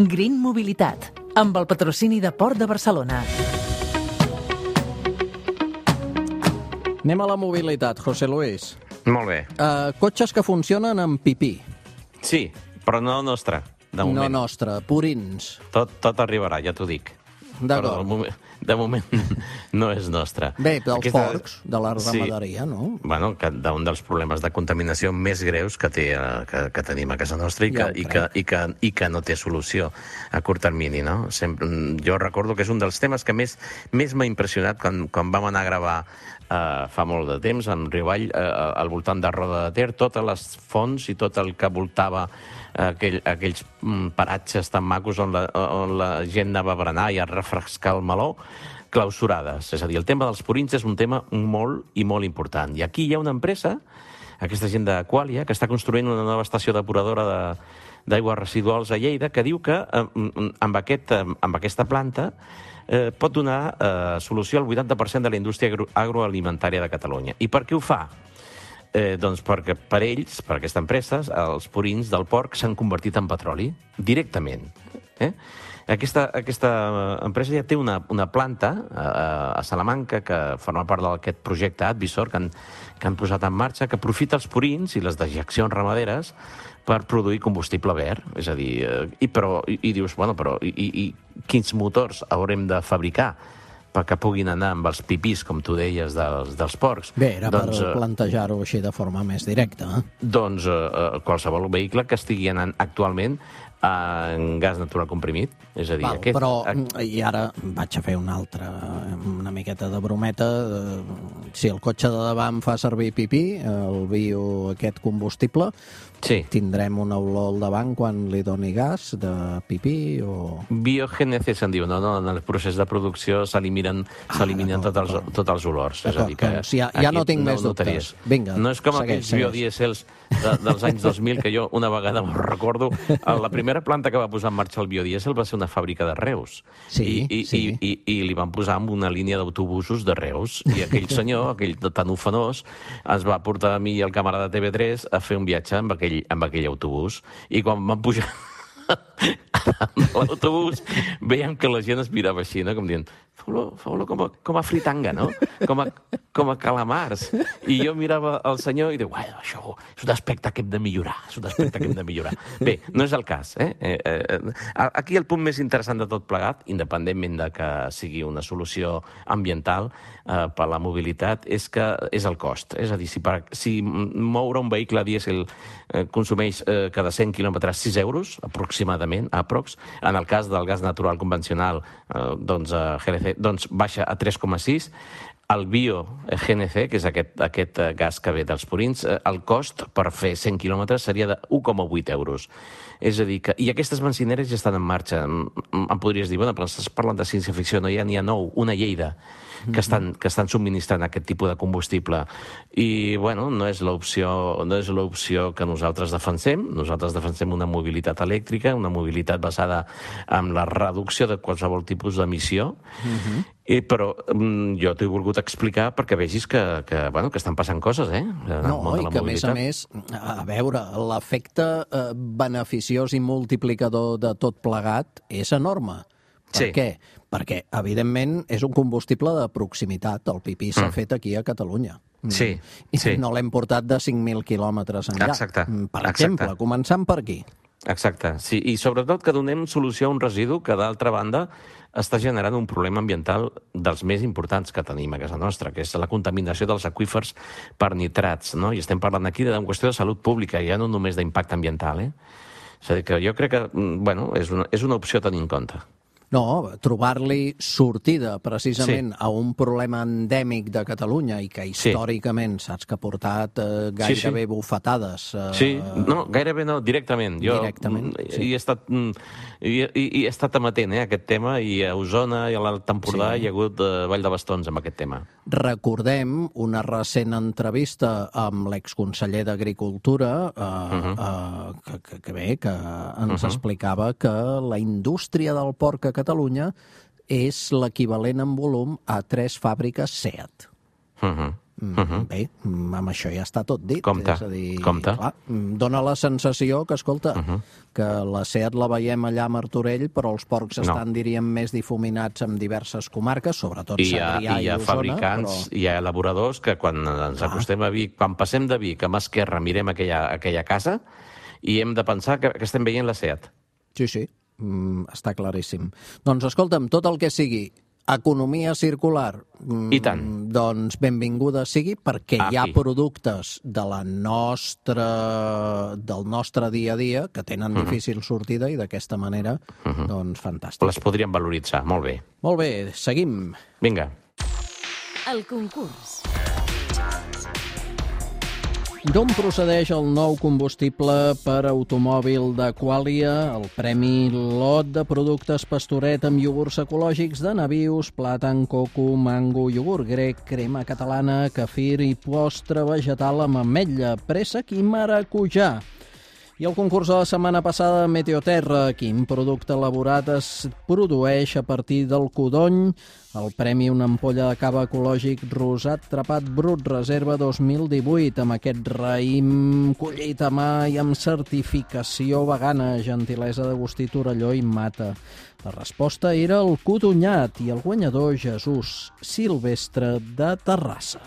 Green Mobilitat, amb el patrocini de Port de Barcelona. Anem a la mobilitat, José Luis. Molt bé. Cotxes que funcionen amb pipí. Sí, però no nostre, de moment. No nostre, purins. Tot arribarà, ja t'ho dic. D'acord. Però de moment no és nostre. Bé, dels porcs, de la ramaderia, no? Bueno, un dels problemes de contaminació més greus que tenim a casa nostra i que no té solució a curt termini, no? Jo recordo que és un dels temes que més m'ha impressionat quan vam anar a gravar fa molt de temps, en Riuall, al voltant de Roda de Ter, totes les fonts i tot el que voltava aquells paratges tan macos on la gent anava a berenar i a refrescar el meló, clausurades. És a dir, el tema dels purins és un tema molt i molt important. I aquí hi ha una empresa, aquesta gent d'Aqualia, que està construint una nova estació depuradora d'aigües residuals a Lleida, que diu que amb aquesta planta pot donar solució al 80% de la indústria agroalimentària de Catalunya. I per què ho fa? Doncs perquè per ells, per aquesta empresa, els purins del porc s'han convertit en petroli, directament. Aquesta empresa ja té una planta a Salamanca que forma part d'aquest projecte Advisor que han posat en marxa, que aprofita els purins i les dejeccions ramaderes per produir combustible verd. És a dir, i dius, bueno, però quins motors haurem de fabricar perquè puguin anar amb els pipís, com tu deies, dels porcs? Bé, era per plantejar-ho així de forma més directa. Doncs qualsevol vehicle que estigui anant actualment en gas natural comprimit. És a dir, i ara vaig a fer una miqueta de brometa. Si el cotxe de davant fa servir pipí, el bio, aquest combustible, tindrem una olor al davant quan li doni gas de pipí o... Biogènesi se'n diu, no? En el procés de producció s'eliminen tots els olors. És a dir, que ja no tinc més dubtes. Vinga, no és com aquells biodiesels dels anys 2000, que jo una vegada me'n recordo, la primera planta que va posar en marxa el biodiesel va ser una fàbrica de Reus. I li van posar en una línia d'autobusos de Reus. I aquell senyor, aquell tan ufanós, ens va portar a mi i el camarada de TV3 a fer un viatge amb aquell autobús. I quan vam pujar a l'autobús, veiem que la gent es mirava així, no? Com dient, fa olor com a fritanga, no? Com a calamars. I jo mirava el senyor i diu, això és un aspecte que hem de millorar. Bé, no és el cas. Aquí el punt més interessant de tot plegat, independentment de que sigui una solució ambiental per a la mobilitat, és el cost. És a dir, si moure un vehicle dièsel consumeix cada 100 quilòmetres 6 euros, aproximadament, en el cas del gas natural convencional, GNC, doncs baixa a 3,6. El bio-GNC, que és aquest gas que ve dels purins, el cost per fer 100 quilòmetres seria de 1,8 euros. És a dir, i aquestes benzineres ja estan en marxa. Em podries dir, bueno, però estàs parlant de ciència-ficció, no? N'hi ha 9, una Lleida, que estan subministrant aquest tipus de combustible. I, bueno, no és l'opció que nosaltres defensem. Nosaltres defensem una mobilitat elèctrica, una mobilitat basada en la reducció de qualsevol tipus d'emissió. Però jo t'ho he volgut explicar perquè vegis que estan passant coses, No, i que a més, a veure, l'efecte beneficiós i multiplicador de tot plegat és enorme. Per què? Perquè, evidentment, és un combustible de proximitat. El pipí s'ha fet aquí a Catalunya. I no l'hem portat de 5.000 quilòmetres enllà. Per exemple, començant per aquí. Exacte, sí, i sobretot que donem solució a un residu que, d'altra banda, està generant un problema ambiental dels més importants que tenim a casa nostra, que és la contaminació dels aqüífers per nitrats, no? I estem parlant aquí d'una qüestió de salut pública, ja no només d'impacte ambiental, És a dir, que jo crec que, és una opció a tenir en compte. No, trobar-li sortida precisament a un problema endèmic de Catalunya i que històricament saps que ha portat gairebé bufetades. Gairebé no, directament. Directament, he estat amatent a aquest tema, i a Osona i a l'Alt Empordà hi ha hagut ball de bastons amb aquest tema. Recordem una recent entrevista amb l'exconseller d'Agricultura que ens explicava que la indústria del porc a Catalunya és l'equivalent en volum a 3 fàbriques SEAT. Bé, amb això ja està tot dit. Compte, és a dir, compte. Clar, dona la sensació que, escolta, que la SEAT la veiem allà a Martorell, però els porcs estan, diríem, més difuminats en diverses comarques, sobretot Segrià i hi ha Osona. fabricants, hi ha elaboradors que quan ens acostem a Vic, quan passem de Vic a mà esquerra, mirem aquella casa i hem de pensar que estem veient la SEAT. Sí, està claríssim. Doncs escolta'm, tot el que sigui economia circular, I tant. doncs benvinguda sigui, perquè hi ha productes del nostre dia a dia que tenen difícil sortida i d'aquesta manera, doncs fantàstic. Les podríem valoritzar, molt bé. Molt bé, seguim. Vinga. El concurs. D'on procedeix el nou combustible per automòbil de Qualia, el Premi Lot de productes Pastoret amb iogurts ecològics de nabius, plàtan, coco, mango, iogurt grec, crema catalana, kefir i postre vegetal amb ametlla, préssec i maracujà. I el concurs de la setmana passada, Meteoterra, quin producte elaborat es produeix a partir del codony? El premi Una ampolla de cava ecològic rosat trapat brut reserva 2018 amb aquest raïm collit a mà i amb certificació vegana, gentilesa d'Agustí Torelló i Mata. La resposta era el codonyat i el guanyador Jesús Silvestre de Terrassa.